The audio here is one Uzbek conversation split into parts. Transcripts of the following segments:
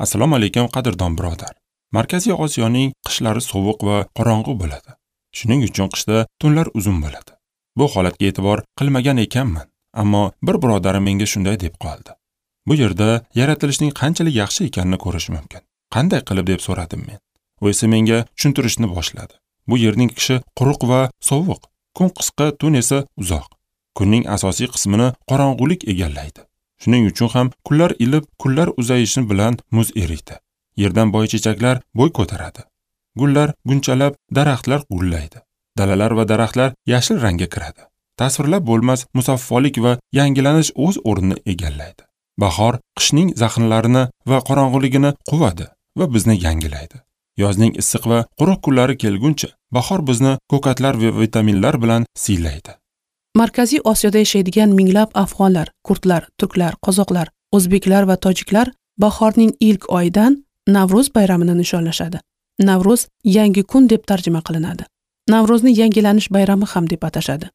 Assalomu alaykum, qadrdon birodar. Markaziy Osiyoning qishlari sovuq va qorong'u bo'ladi. Shuning uchun qishda tunlar uzun bo'ladi. Bu holatga e'tibor qilmagan ekanman, ammo bir birodarim menga shunday deb qoldi. Bu yerda yaratilishning qanchalik yaxshi ekanini ko'rish mumkin. Qanday qilib deb so'radim men. U esa menga tushuntirishni boshladi. Bu yerning qishi quruq va sovuq, kun qisqa, tun esa uzoq. Kunning asosiy qismini qorong'ulik egallaydi. Shuning uchun ham kunlar ilib, kunlar uzayishi bilan muz eriydi. Yerdan boychechaklar bo'y ko'taradi. Gullar gunchalab, daraxtlar gullaydi. Dalalar va daraxtlar yashil rangga kiradi. Tasvirlab bo'lmas musaffolik va yangilanish o'z o'rnini egallaydi. Bahor qishning zaxnlarini va qorong'uligini quvadi va bizni yangilaydi. Yozning issiq va quruq kunlari kelguncha bahor bizni ko'katlar va vitaminlar bilan siylaydi. Markaziy Osiyoda yashaydigan minglab afg'onlar, kurdlar, turklar, qozoqlar, o'zbeklar va tojiklar bahorning ilk oyidan Navro'z bayramini nishonlashadi. Navro'z yangi kun deb tarjima qilinadi. Navro'zni yangilanish bayrami ham deb atashadi.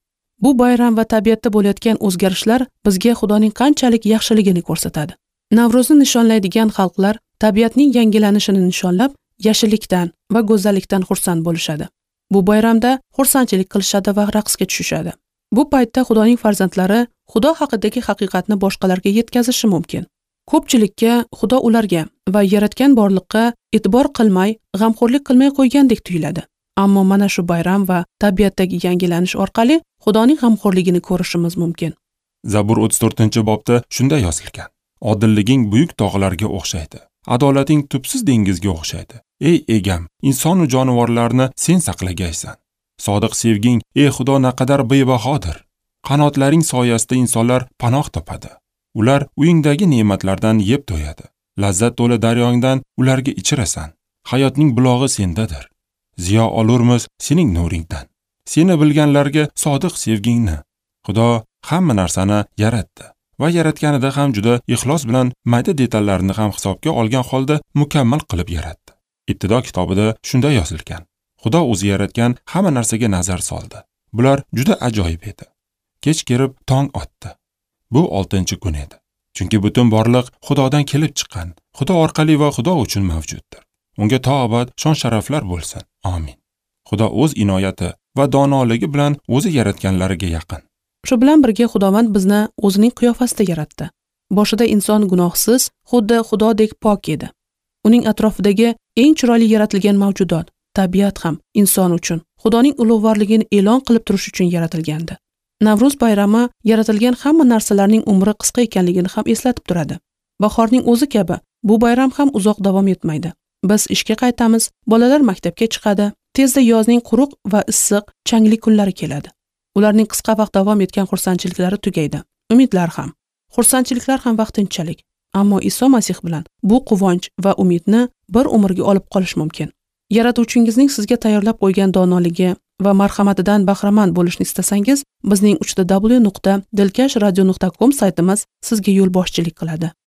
Bu bayram va tabiatda bo'layotgan o'zgarishlar bizga Xudoning qanchalik yaxshiligini ko'rsatadi. Navro'zni nishonlaydigan xalqlar tabiatning yangilanishini nishonlab, yashillikdan va go'zallikdan xursand bo'lishadi. Bu bayramda xursandchilik qilishadi va raqsga tushishadi. Bu paytda Xudoning farzandlari Xudo haqidagi haqiqatni boshqalarga yetkazishi mumkin. Ko'pchilikka Xudo ularga va yaratgan borliqqa e'tibor qilmay, g'amxo'rlik qilmay qo'ygandek tuyuladi. Ammo mana shu bayram va tabiatdagi yangilanish orqali Xudoning g'amxo'rligini ko'rishimiz mumkin. Zabur 34-bobda shunday yozilgan: Odilliging buyuk tog'larga o'xshaydi. Adolating tubsiz dengizga o'xshaydi. Ey egam, inson va jonivorlarni sen saqlagaysan. Sodiq sevging, ey Xudo, naqadar bebahodir. Qanotlaring soyasida insonlar panoh topadi. Ular uyingdagi ne'matlardan yeb to'yadi. Lazzat to'la daryongdan ularga ichirasan. Hayotning bulog'i sendadir. Ziyo olurmiz sening nuringdan. Seni bilganlarga sodiq sevgingni. Xudo hamma narsani yaratdi va yaratganida ham juda ixlos bilan mayda detallarni ham hisobga olgan holda mukammal qilib yaratdi. Ibtido kitobida shunday yozilgan: Xudo o'zi yaratgan hamma narsaga nazar soldi. Bular juda ajoyib edi. Kech kirib tong otdi. Bu 6-kun edi. Chunki butun borliq Xudodan kelib chiqqan, Xudo orqali va Xudo uchun mavjuddir. Unga to abad shon-sharaflar bo'lsin. Amin. Xudo o'z inoyati va donoligi bilan o'zi yaratganlariga yaqin. Shu bilan birga Xudovand bizni o'zining qiyofasida yaratdi. Boshida inson gunohsiz, xuddi Xudodek pok edi. Uning atrofidagi eng chiroyli yaratilgan mavjudot, tabiat ham inson uchun Xudoning ulug'vorligini e'lon qilib turish uchun yaratilgandi. Navro'z bayrami yaratilgan hamma narsalarning umri qisqa ekanligini ham eslatib turadi. Bahorning o'zi kabi bu bayram ham uzoq davom etmaydi. Biz ishga qaytamiz, bolalar maktabga chiqadi, tezda yozning quruq va issiq, changli kunlari keladi. Ularning qisqa vaqt davom etgan xursandchiliklari tugaydi. Umidlar ham, xursandchiliklar ham vaqtinchalik. Ammo Iso Masih bilan bu quvonch va umidni bir umrga olib qolish mumkin. Yaratuvchingizning sizga tayyorlab qo'ygan donoligi va marhamatidan bahramand bo'lishni istasangiz, bizning www.dilkashradio.com saytimiz sizga yo'lboshchilik qiladi.